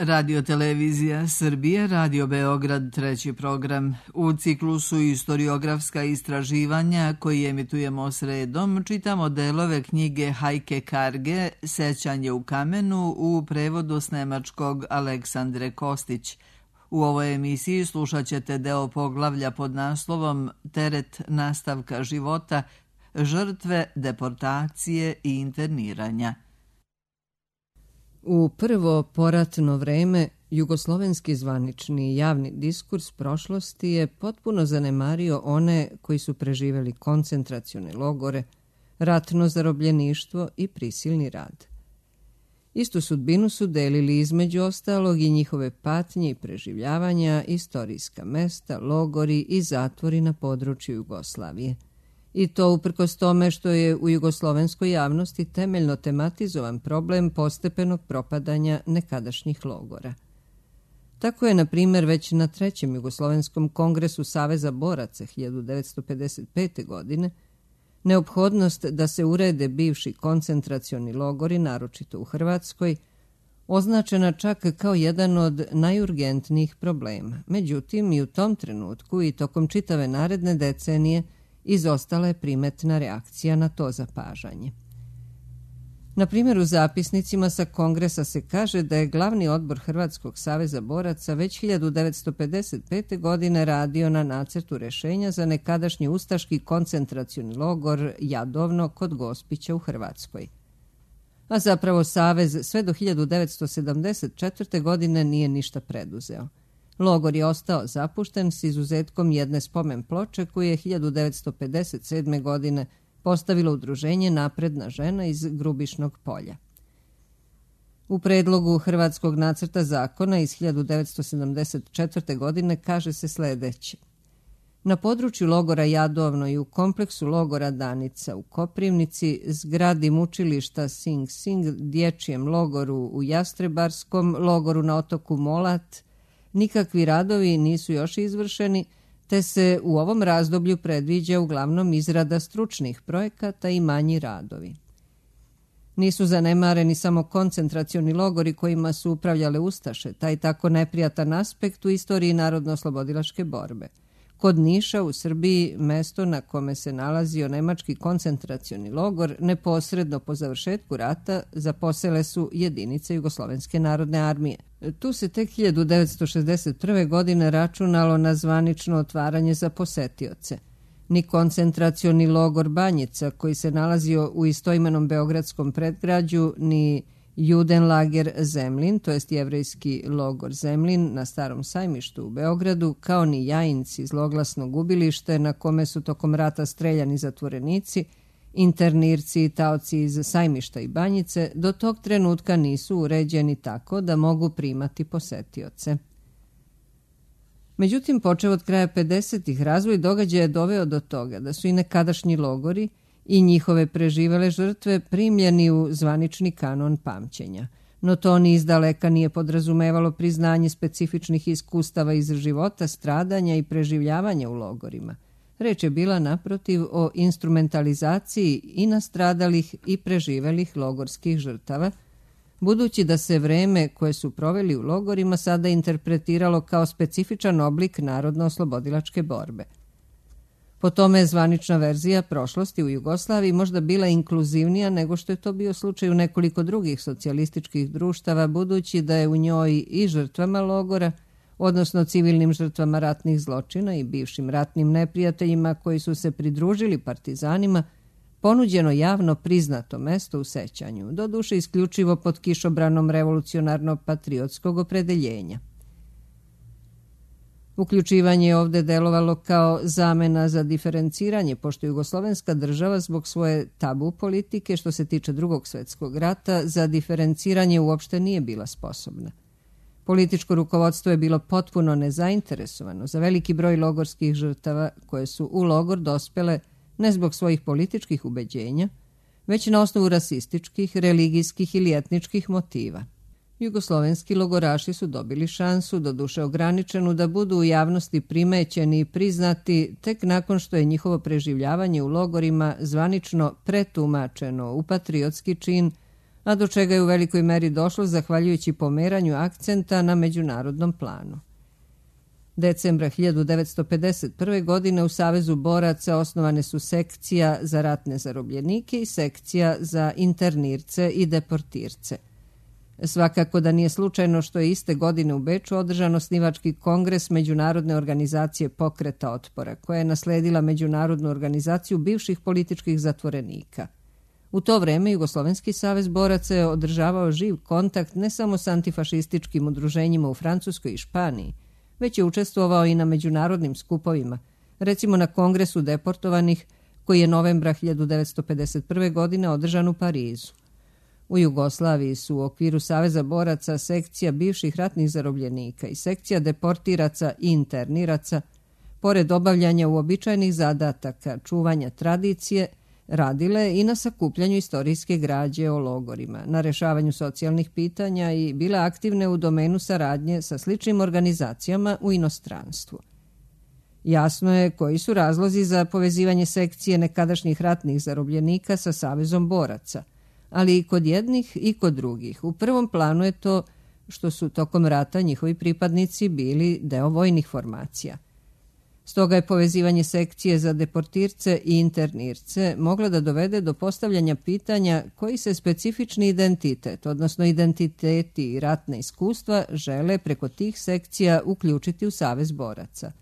Radio-televizija Srbije, Radio Beograd, treći program. U ciklusu Istoriografska istraživanja koji emitujemo sredom, čitamo delove knjige Hajke Karge Sećanje u kamenu u prevodu s nemačkog Aleksandre Kostić. U ovoj emisiji slušat ćete deo poglavlja pod naslovom Teret nastavka života, žrtve deportacije i interniranja. U prvo poratno vreme jugoslovenski zvanični javni diskurs prošlosti je potpuno zanemario one koji su preživeli koncentracione logore, ratno zarobljeništvo i prisilni rad. Istu sudbinu su delili između ostalog i njihove patnje i preživljavanja, istorijska mesta, logori i zatvori na području Jugoslavije. I to uprkos tome što je u jugoslovenskoj javnosti temeljno tematizovan problem postepenog propadanja nekadašnjih logora. Tako je, na primjer, već na Trećem jugoslovenskom kongresu Saveza boraca 1955. godine neophodnost da se urede bivši koncentracioni logori, naročito u Hrvatskoj, označena čak kao jedan od najurgentnijih problema. Međutim, i u tom trenutku i tokom čitave naredne decenije izostala je primetna reakcija na to zapažanje. Na primjer, u zapisnicima sa kongresa se kaže da je glavni odbor Hrvatskog saveza boraca već 1955. godine radio na nacrtu rešenja za nekadašnji ustaški koncentracioni logor Jadovno kod Gospića u Hrvatskoj. A zapravo Savez sve do 1974. godine nije ništa preduzeo. Logor je ostao zapušten s izuzetkom jedne spomen ploče koju je 1957. godine postavilo udruženje Napredna žena iz Grubišnog polja. U predlogu Hrvatskog nacrta zakona iz 1974. godine kaže se sljedeće. Na području logora Jadovno i u kompleksu logora Danica u Koprivnici, zgradi mučilišta Sing Sing, dječjem logoru u Jastrebarskom, logoru na otoku Molat, nikakvi radovi nisu još izvršeni, te se u ovom razdoblju predviđa uglavnom izrada stručnih projekata i manji radovi. Nisu zanemareni samo koncentracioni logori kojima su upravljale ustaše, taj tako neprijatan aspekt u istoriji narodno-oslobodilačke borbe. Kod Niša u Srbiji, mesto na kome se nalazio nemački koncentracioni logor, neposredno po završetku rata zaposele su jedinice Jugoslovenske narodne armije. Tu se tek 1961. godine računalo na zvanično otvaranje za posetioce. Ni koncentracioni logor Banjica, koji se nalazio u istoimenom beogradskom predgrađu, ni Judenlager Zemlin, to jest jevrejski logor Zemlin na Starom sajmištu u Beogradu, kao ni Jajinci, zloglasno gubilište na kome su tokom rata streljani zatvorenici, internirci i taoci iz Sajmišta i Banjice, do tog trenutka nisu uređeni tako da mogu primati posetioce. Međutim, počev od kraja 50-ih, razvoj događaja je doveo do toga da su i nekadašnji logori i njihove preživele žrtve primljeni u zvanični kanon pamćenja. No to ni izdaleka nije podrazumevalo priznanje specifičnih iskustava iz života, stradanja i preživljavanja u logorima. Reč je bila naprotiv o instrumentalizaciji i nastradalih i preživelih logorskih žrtava, budući da se vreme koje su proveli u logorima sada interpretiralo kao specifičan oblik narodno-oslobodilačke borbe. Po tome je zvanična verzija prošlosti u Jugoslaviji možda bila inkluzivnija nego što je to bio slučaj u nekoliko drugih socijalističkih društava, budući da je u njoj i žrtvama logora, odnosno civilnim žrtvama ratnih zločina i bivšim ratnim neprijateljima koji su se pridružili partizanima, ponuđeno javno priznato mesto u sećanju, doduše isključivo pod kišobranom revolucionarno-patriotskog opredeljenja. Uključivanje je ovdje delovalo kao zamena za diferenciranje, pošto jugoslovenska država zbog svoje tabu politike što se tiče Drugog svjetskog rata za diferenciranje uopšte nije bila sposobna. Političko rukovodstvo je bilo potpuno nezainteresovano za veliki broj logorskih žrtava koje su u logor dospele ne zbog svojih političkih ubeđenja, već na osnovu rasističkih, religijskih ili etničkih motiva. Jugoslovenski logoraši su dobili šansu, doduše ograničenu, da budu u javnosti primećeni i priznati tek nakon što je njihovo preživljavanje u logorima zvanično pretumačeno u patriotski čin, a do čega je u velikoj meri došlo zahvaljujući pomeranju akcenta na međunarodnom planu. Decembra 1951. godine u Savezu boraca osnovane su sekcija za ratne zarobljenike i sekcija za internirce i deportirce. Svakako da nije slučajno što je iste godine u Beču održan osnivački kongres Međunarodne organizacije pokreta otpora, koja je nasledila Međunarodnu organizaciju bivših političkih zatvorenika. U to vreme Jugoslovenski savez boraca je održavao živ kontakt ne samo s antifašističkim udruženjima u Francuskoj i Španiji, već je učestvovao i na međunarodnim skupovima, recimo na Kongresu deportovanih koji je novembra 1951. godine održan u Parizu. U Jugoslaviji su u okviru Saveza boraca sekcija bivših ratnih zarobljenika i sekcija deportiraca i interniraca, pored obavljanja uobičajenih zadataka čuvanja tradicije, radile i na sakupljanju istorijske građe o logorima, na rešavanju socijalnih pitanja i bile aktivne u domenu saradnje sa sličnim organizacijama u inostranstvu. Jasno je koji su razlozi za povezivanje sekcije nekadašnjih ratnih zarobljenika sa Savezom boraca, ali i kod jednih i kod drugih. U prvom planu je to što su tokom rata njihovi pripadnici bili deo vojnih formacija. Stoga je povezivanje sekcije za deportirce i internirce moglo da dovede do postavljanja pitanja koji se specifični identitet, odnosno identiteti i ratne iskustva, žele preko tih sekcija uključiti u Savez boraca.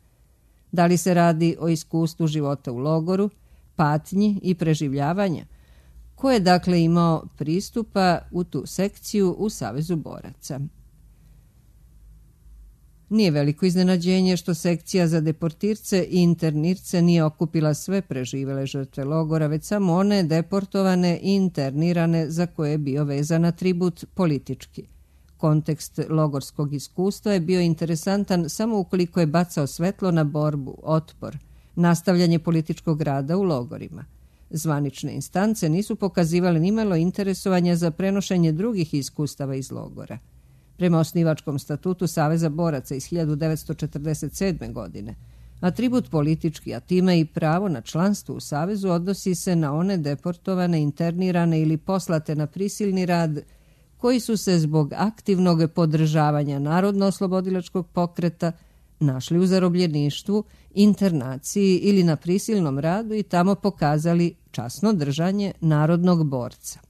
Da li se radi o iskustvu života u logoru, patnji i preživljavanja? Ko je dakle imao pristupa u tu sekciju u Savezu boraca? Nije veliko iznenađenje što sekcija za deportirce i internirce nije okupila sve preživele žrtve logora, već samo one deportovane i internirane za koje je bio vezan atribut politički. Kontekst logorskog iskustva je bio interesantan samo ukoliko je bacao svetlo na borbu, otpor, nastavljanje političkog rada u logorima. Zvanične instance nisu pokazivale nimalo interesovanja za prenošenje drugih iskustava iz logora. Prema osnivačkom statutu Saveza boraca iz 1947. godine, atribut politički, a time i pravo na članstvo u Savezu odnosi se na one deportovane, internirane ili poslate na prisilni rad koji su se zbog aktivnog podržavanja narodno-oslobodilačkog pokreta našli u zarobljeništvu, internaciji ili na prisilnom radu i tamo pokazali časno držanje narodnog borca.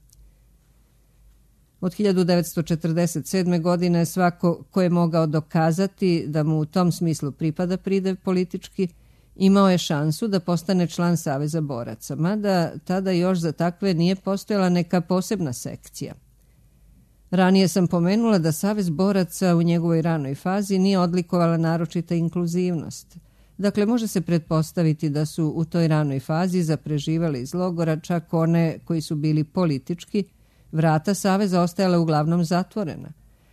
Od 1947. godine svako ko je mogao dokazati da mu u tom smislu pripada pridev politički, imao je šansu da postane član Saveza boraca, mada tada još za takve nije postojala neka posebna sekcija. Ranije sam pomenula da Savez boraca u njegovoj ranoj fazi nije odlikovala naročita inkluzivnost. Dakle, može se pretpostaviti da su u toj ranoj fazi zapreživali iz logora čak one koji su bili politički, vrata Saveza ostajala uglavnom zatvorena,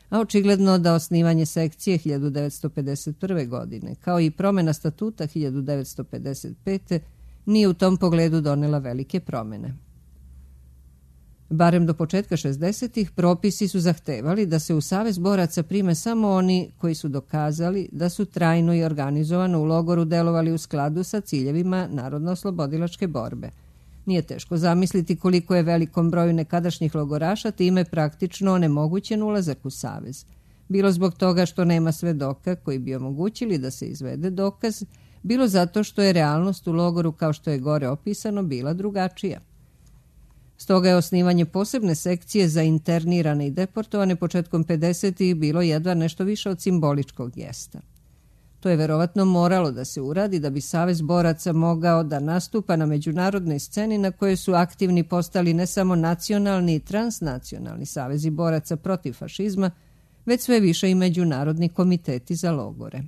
a očigledno da osnivanje sekcije 1951. godine, kao i promjena statuta 1955. nije u tom pogledu donela velike promjene. Barem do početka 60-ih propisi su zahtevali da se u Savez boraca prime samo oni koji su dokazali da su trajno i organizovano u logoru delovali u skladu sa ciljevima narodno-oslobodilačke borbe. Nije teško zamisliti koliko je velikom broju nekadašnjih logoraša time praktično onemogućen ulazak u Savez. Bilo zbog toga što nema svedoka koji bi omogućili da se izvede dokaz, bilo zato što je realnost u logoru, kao što je gore opisano, bila drugačija. Stoga je osnivanje posebne sekcije za internirane i deportovane početkom 50-ih bilo jedva nešto više od simboličkog gesta. To je verovatno moralo da se uradi da bi Savez boraca mogao da nastupa na međunarodnoj sceni na kojoj su aktivni postali ne samo nacionalni i transnacionalni savezi boraca protiv fašizma, već sve više i međunarodni komiteti za logore.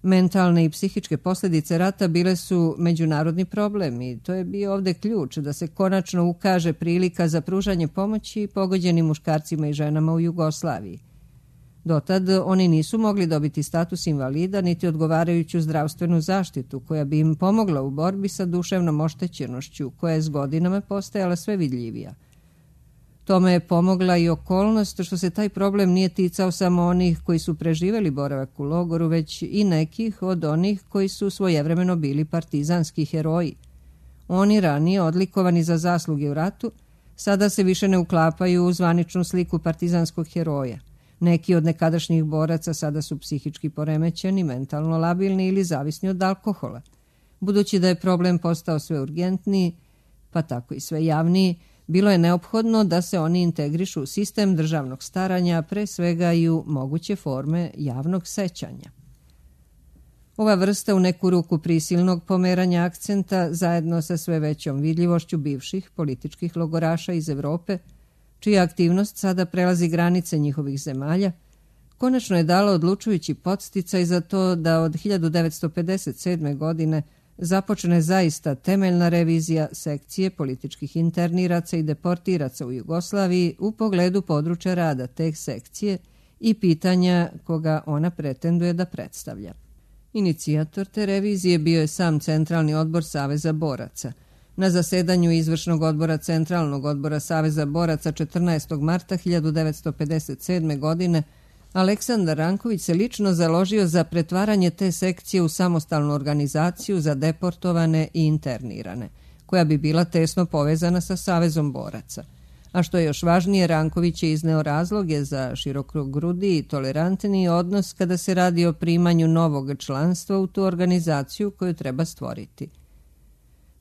Mentalne i psihičke posljedice rata bile su međunarodni problem i to je bio ovdje ključ da se konačno ukaže prilika za pružanje pomoći pogođenim muškarcima i ženama u Jugoslaviji. Dotad oni nisu mogli dobiti status invalida niti odgovarajuću zdravstvenu zaštitu koja bi im pomogla u borbi sa duševnom oštećenošću koja je s godinama postajala sve vidljivija. Tome je pomogla i okolnost što se taj problem nije ticao samo onih koji su preživjeli boravak u logoru, već i nekih od onih koji su svojevremeno bili partizanski heroji. Oni ranije odlikovani za zasluge u ratu sada se više ne uklapaju u zvaničnu sliku partizanskog heroja. Neki od nekadašnjih boraca sada su psihički poremećeni, mentalno labilni ili zavisni od alkohola. Budući da je problem postao sve urgentniji, pa tako i sve javniji, bilo je neophodno da se oni integrišu u sistem državnog staranja, pre svega i u moguće forme javnog sećanja. Ova vrsta u neku ruku prisilnog pomeranja akcenta, zajedno sa sve većom vidljivošću bivših političkih logoraša iz Evrope, čija aktivnost sada prelazi granice njihovih zemalja, konačno je dalo odlučujući podsticaj za to da od 1957. godine započne zaista temeljna revizija sekcije političkih interniraca i deportiraca u Jugoslaviji u pogledu područja rada te sekcije i pitanja koga ona pretenduje da predstavlja. Inicijator te revizije bio je sam Centralni odbor Saveza boraca. Na zasedanju izvršnog odbora Centralnog odbora Saveza boraca 14. marta 1957. godine Aleksandar Ranković se lično založio za pretvaranje te sekcije u samostalnu organizaciju za deportovane i internirane, koja bi bila tesno povezana sa Savezom boraca. A što je još važnije, Ranković je izneo razloge za širokogrudi i tolerantniji odnos kada se radi o primanju novog članstva u tu organizaciju koju treba stvoriti.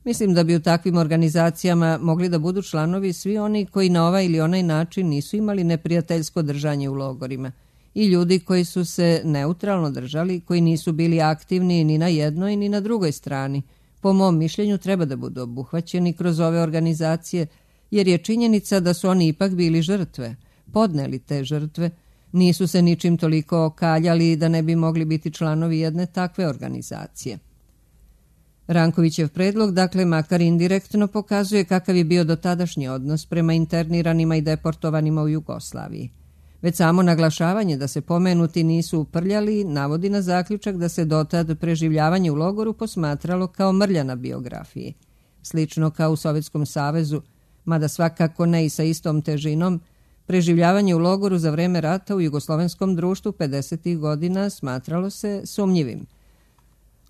Mislim da bi u takvim organizacijama mogli da budu članovi svi oni koji na ovaj ili onaj način nisu imali neprijateljsko držanje u logorima i ljudi koji su se neutralno držali, koji nisu bili aktivni ni na jednoj ni na drugoj strani. Po mom mišljenju treba da budu obuhvaćeni kroz ove organizacije, jer je činjenica da su oni ipak bili žrtve, podneli te žrtve, nisu se ničim toliko okaljali da ne bi mogli biti članovi jedne takve organizacije. Rankovićev predlog, dakle, makar indirektno pokazuje kakav je bio dotadašnji odnos prema interniranima i deportovanima u Jugoslaviji. Već samo naglašavanje da se pomenuti nisu uprljali navodi na zaključak da se dotad preživljavanje u logoru posmatralo kao mrlja na biografiji. Slično kao u Sovjetskom savezu, mada svakako ne i sa istom težinom, preživljavanje u logoru za vreme rata u jugoslovenskom društvu 50. godina smatralo se sumnjivim.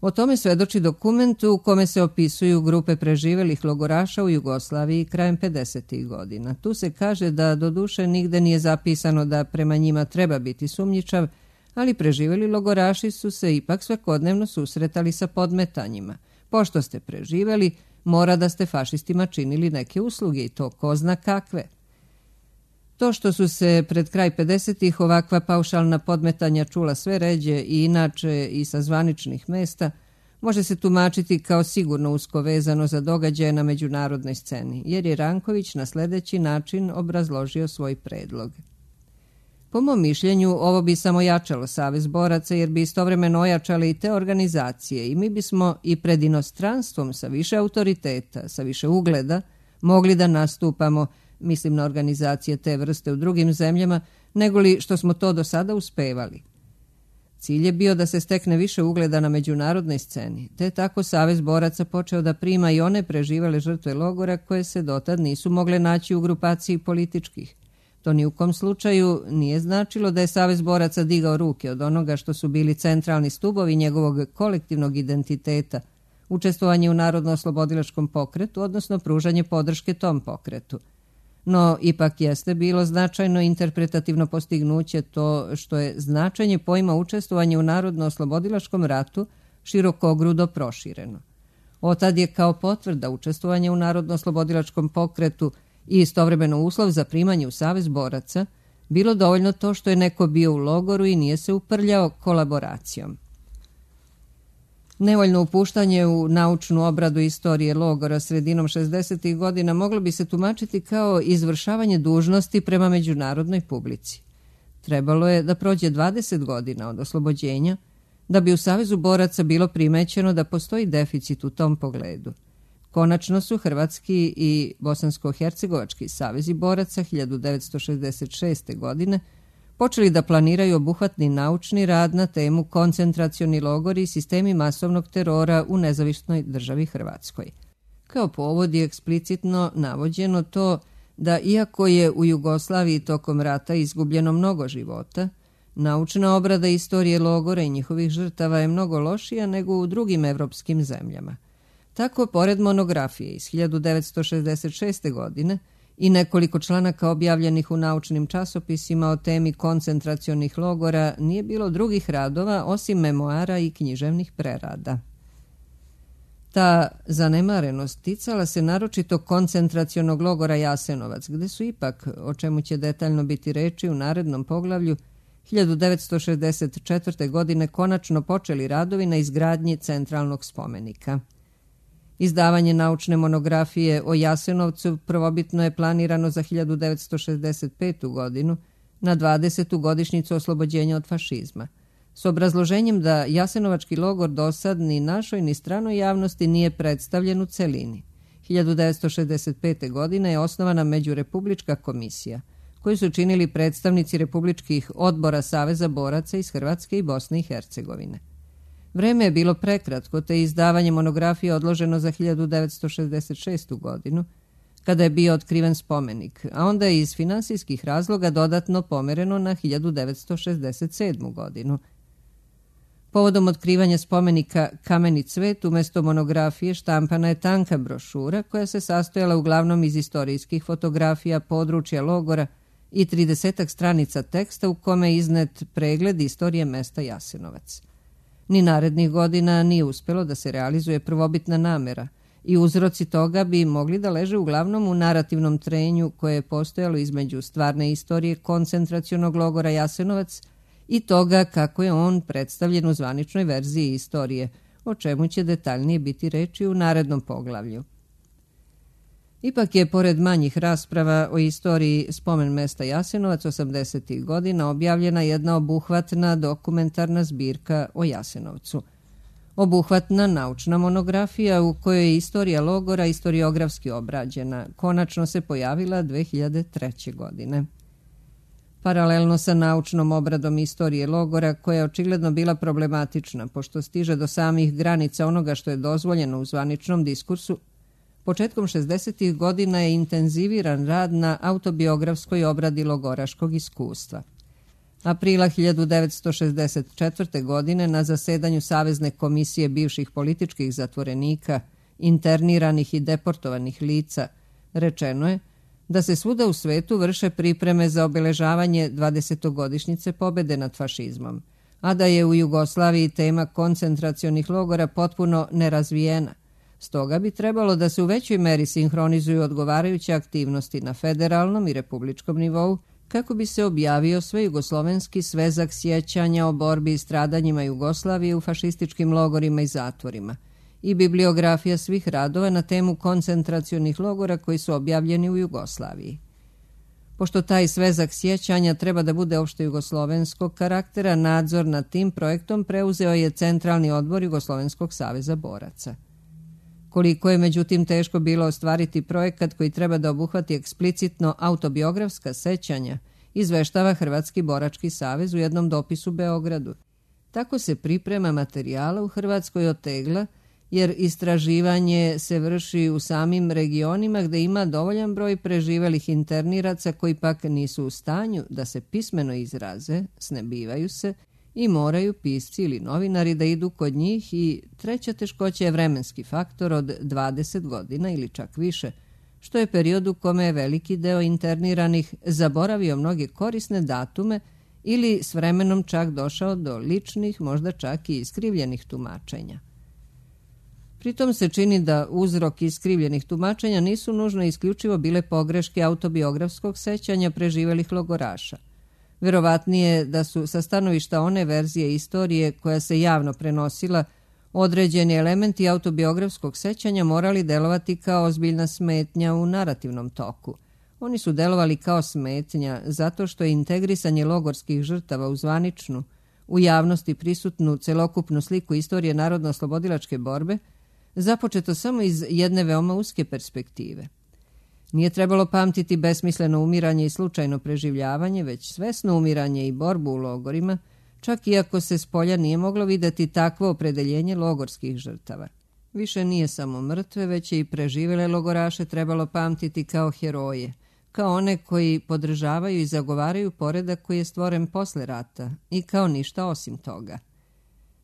O tome svedoči dokument u kome se opisuju grupe preživelih logoraša u Jugoslaviji krajem 50. godina. Tu se kaže da doduše nigde nije zapisano da prema njima treba biti sumnjičav, ali preživeli logoraši su se ipak svakodnevno susretali sa podmetanjima. Pošto ste preživeli, mora da ste fašistima činili neke usluge i to ko zna kakve. To što su se pred kraj 50-ih ovakva paušalna podmetanja čula sve ređe i inače i sa zvaničnih mesta, može se tumačiti kao sigurno usko vezano za događaje na međunarodnoj sceni, jer je Ranković na sljedeći način obrazložio svoj predlog. Po mom mišljenju, ovo bi samo jačalo Savez boraca, jer bi istovremeno ojačale i te organizacije i mi bismo i pred inostranstvom sa više autoriteta, sa više ugleda, mogli da nastupamo, mislim na organizacije te vrste u drugim zemljama, negoli što smo to do sada uspevali. Cilj je bio da se stekne više ugleda na međunarodnoj sceni, te tako Savez boraca počeo da prima i one preživele žrtve logora koje se dotad nisu mogle naći u grupaciji političkih. To ni u kom slučaju nije značilo da je Savez boraca digao ruke od onoga što su bili centralni stubovi njegovog kolektivnog identiteta, učestvovanje u narodno-oslobodilačkom pokretu, odnosno pružanje podrške tom pokretu. No, ipak jeste bilo značajno interpretativno postignuće to što je značenje pojma učestvovanja u narodno-oslobodilačkom ratu širokogrudo prošireno. Otad je kao potvrda učestvovanja u narodno-oslobodilačkom pokretu i istovremeno uslov za primanje u Savez boraca bilo dovoljno to što je neko bio u logoru i nije se uprljao kolaboracijom. Nevoljno upuštanje u naučnu obradu istorije logora sredinom 60. godina moglo bi se tumačiti kao izvršavanje dužnosti prema međunarodnoj publici. Trebalo je da prođe 20 godina od oslobođenja da bi u Savezu boraca bilo primećeno da postoji deficit u tom pogledu. Konačno su Hrvatski i Bosansko-hercegovački savezi boraca 1966. godine počeli da planiraju obuhvatni naučni rad na temu koncentracioni logori i sistemi masovnog terora u nezavisnoj državi Hrvatskoj. Kao povod je eksplicitno navođeno to da iako je u Jugoslaviji tokom rata izgubljeno mnogo života, naučna obrada istorije logora i njihovih žrtava je mnogo lošija nego u drugim evropskim zemljama. Tako, pored monografije iz 1966. godine, i nekoliko članaka objavljenih u naučnim časopisima o temi koncentracionih logora, nije bilo drugih radova osim memoara i književnih prerada. Ta zanemarenost ticala se naročito koncentracionog logora Jasenovac, gde su ipak, o čemu će detaljno biti reči u narednom poglavlju, 1964. godine konačno počeli radovi na izgradnji centralnog spomenika. Izdavanje naučne monografije o Jasenovcu prvobitno je planirano za 1965. godinu, na 20. godišnjicu oslobođenja od fašizma, s obrazloženjem da Jasenovački logor dosad ni našoj ni stranoj javnosti nije predstavljen u celini. 1965. godine je osnovana Međurepublička komisija, koju su činili predstavnici republičkih odbora Saveza boraca iz Hrvatske i Bosne i Hercegovine. Vreme je bilo prekratko, te izdavanje monografije odloženo za 1966. godinu, kada je bio otkriven spomenik, a onda je iz finansijskih razloga dodatno pomereno na 1967. godinu. Povodom otkrivanja spomenika Kameni cvet, umjesto monografije štampana je tanka brošura koja se sastojala uglavnom iz istorijskih fotografija područja logora i 30 stranica teksta u kome je iznet pregled istorije mesta Jasenovac. Ni narednih godina nije uspjelo da se realizuje prvobitna namera i uzroci toga bi mogli da leže uglavnom u narativnom trenju koje je postojalo između stvarne istorije koncentracionog logora Jasenovac i toga kako je on predstavljen u zvaničnoj verziji istorije, o čemu će detaljnije biti reči u narednom poglavlju. Ipak je, pored manjih rasprava o istoriji spomen mesta Jasenovac 80. godina, objavljena jedna obuhvatna dokumentarna zbirka o Jasenovcu. Obuhvatna naučna monografija u kojoj je istorija logora istoriografski obrađena, konačno se pojavila 2003. godine. Paralelno sa naučnom obradom istorije logora, koja je očigledno bila problematična, pošto stiže do samih granica onoga što je dozvoljeno u zvaničnom diskursu, početkom 60. godina je intenziviran rad na autobiografskoj obradi logoraškog iskustva. Aprila 1964. godine na zasedanju Savezne komisije bivših političkih zatvorenika, interniranih i deportovanih lica, rečeno je da se svuda u svetu vrše pripreme za obeležavanje 20-godišnjice pobede nad fašizmom, a da je u Jugoslaviji tema koncentracionih logora potpuno nerazvijena. Stoga bi trebalo da se u većoj meri sinhronizuju odgovarajuće aktivnosti na federalnom i republičkom nivou kako bi se objavio svejugoslovenski svezak sjećanja o borbi i stradanjima Jugoslavije u fašističkim logorima i zatvorima i bibliografija svih radova na temu koncentracionih logora koji su objavljeni u Jugoslaviji. Pošto taj svezak sjećanja treba da bude opšte jugoslovenskog karaktera, nadzor nad tim projektom preuzeo je Centralni odbor Jugoslovenskog saveza boraca. Koliko je međutim teško bilo ostvariti projekat koji treba da obuhvati eksplicitno autobiografska sećanja, izveštava Hrvatski borački savez u jednom dopisu Beogradu. Tako se priprema materijala u Hrvatskoj otegla, jer istraživanje se vrši u samim regionima gde ima dovoljan broj preživelih interniraca koji pak nisu u stanju da se pismeno izraze, snebivaju se i moraju pisci ili novinari da idu kod njih i treća teškoća je vremenski faktor od 20 godina ili čak više, što je period u kome je veliki deo interniranih zaboravio mnoge korisne datume ili s vremenom čak došao do ličnih, možda čak i iskrivljenih tumačenja. Pritom se čini da uzrok iskrivljenih tumačenja nisu nužno isključivo bile pogreške autobiografskog sećanja preživelih logoraša. Verovatnije je da su sa stanovišta one verzije istorije koja se javno prenosila određeni elementi autobiografskog sećanja morali delovati kao ozbiljna smetnja u narativnom toku. Oni su delovali kao smetnja zato što je integrisanje logorskih žrtava u zvaničnu, u javnosti prisutnu celokupnu sliku istorije narodno-oslobodilačke borbe započeto samo iz jedne veoma uske perspektive. Nije trebalo pamtiti besmisleno umiranje i slučajno preživljavanje, već svesno umiranje i borbu u logorima, čak i ako se s polja nije moglo videti takvo opredeljenje logorskih žrtava. Više nije samo mrtve, već je i preživele logoraše trebalo pamtiti kao heroje, kao one koji podržavaju i zagovaraju poredak koji je stvoren posle rata i kao ništa osim toga.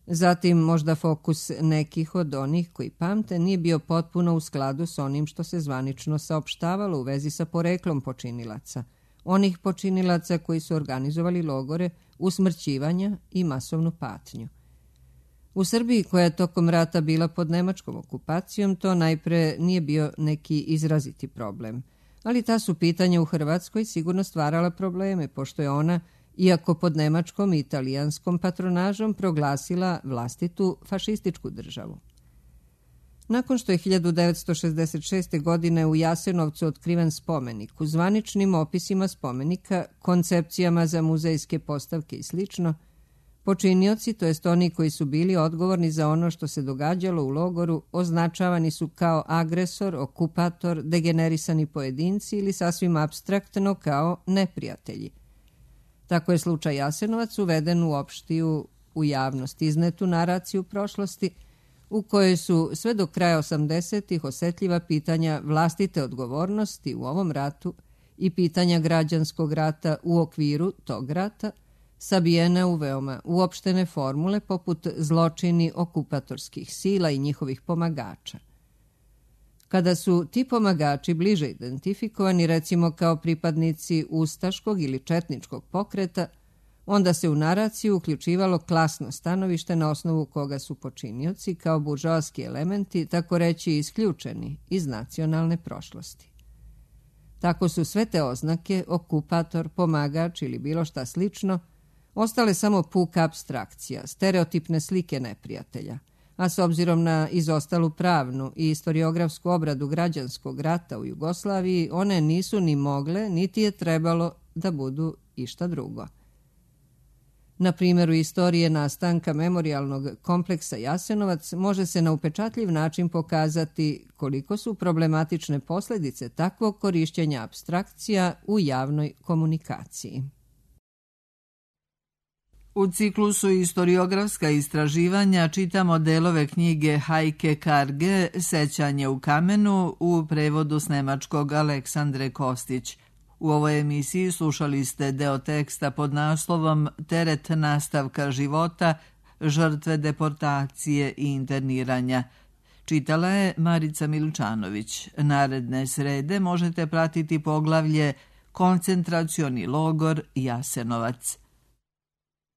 Zatim, možda fokus nekih od onih koji pamte nije bio potpuno u skladu s onim što se zvanično saopštavalo u vezi sa poreklom počinilaca, onih počinilaca koji su organizovali logore, usmrćivanja i masovnu patnju. U Srbiji, koja je tokom rata bila pod nemačkom okupacijom, to najpre nije bio neki izraziti problem. Ali ta su pitanja u Hrvatskoj sigurno stvarala probleme, pošto je ona, iako pod nemačkom i italijanskom patronažom, proglasila vlastitu fašističku državu. Nakon što je 1966. godine u Jasenovcu otkriven spomenik, u zvaničnim opisima spomenika, koncepcijama za muzejske postavke i slično, počinioci, to jest oni koji su bili odgovorni za ono što se događalo u logoru, označavani su kao agresor, okupator, degenerisani pojedinci ili sasvim apstraktno kao neprijatelji. Tako je slučaj Jasenovac uveden u opštiju, u javnost iznetu naraciju prošlosti, u kojoj su sve do kraja 80-ih osetljiva pitanja vlastite odgovornosti u ovom ratu i pitanja građanskog rata u okviru tog rata sabijena u veoma uopštene formule poput zločini okupatorskih sila i njihovih pomagača. Kada su ti pomagači bliže identifikovani, recimo kao pripadnici ustaškog ili četničkog pokreta, onda se u naraciju uključivalo klasno stanovište na osnovu koga su počinioci kao buržoaski elementi, tako reći, isključeni iz nacionalne prošlosti. Tako su sve te oznake, okupator, pomagač ili bilo šta slično, ostale samo puka apstrakcija, stereotipne slike neprijatelja, a s obzirom na izostalu pravnu i historiografsku obradu građanskog rata u Jugoslaviji, one nisu ni mogle, niti je trebalo da budu išta drugo. Na primjeru istorije nastanka memorijalnog kompleksa Jasenovac može se na upečatljiv način pokazati koliko su problematične posljedice takvog korišćenja apstrakcija u javnoj komunikaciji. U ciklusu Historiografska istraživanja čitamo delove knjige Heike Karge Sećanje u kamenu u prevodu s nemačkog Aleksandre Kostić. U ovoj emisiji slušali ste deo teksta pod naslovom Teret nastavka života, žrtve deportacije i interniranja. Čitala je Marica Miličanović. Naredne srede možete pratiti poglavlje Koncentracioni logor Jasenovac.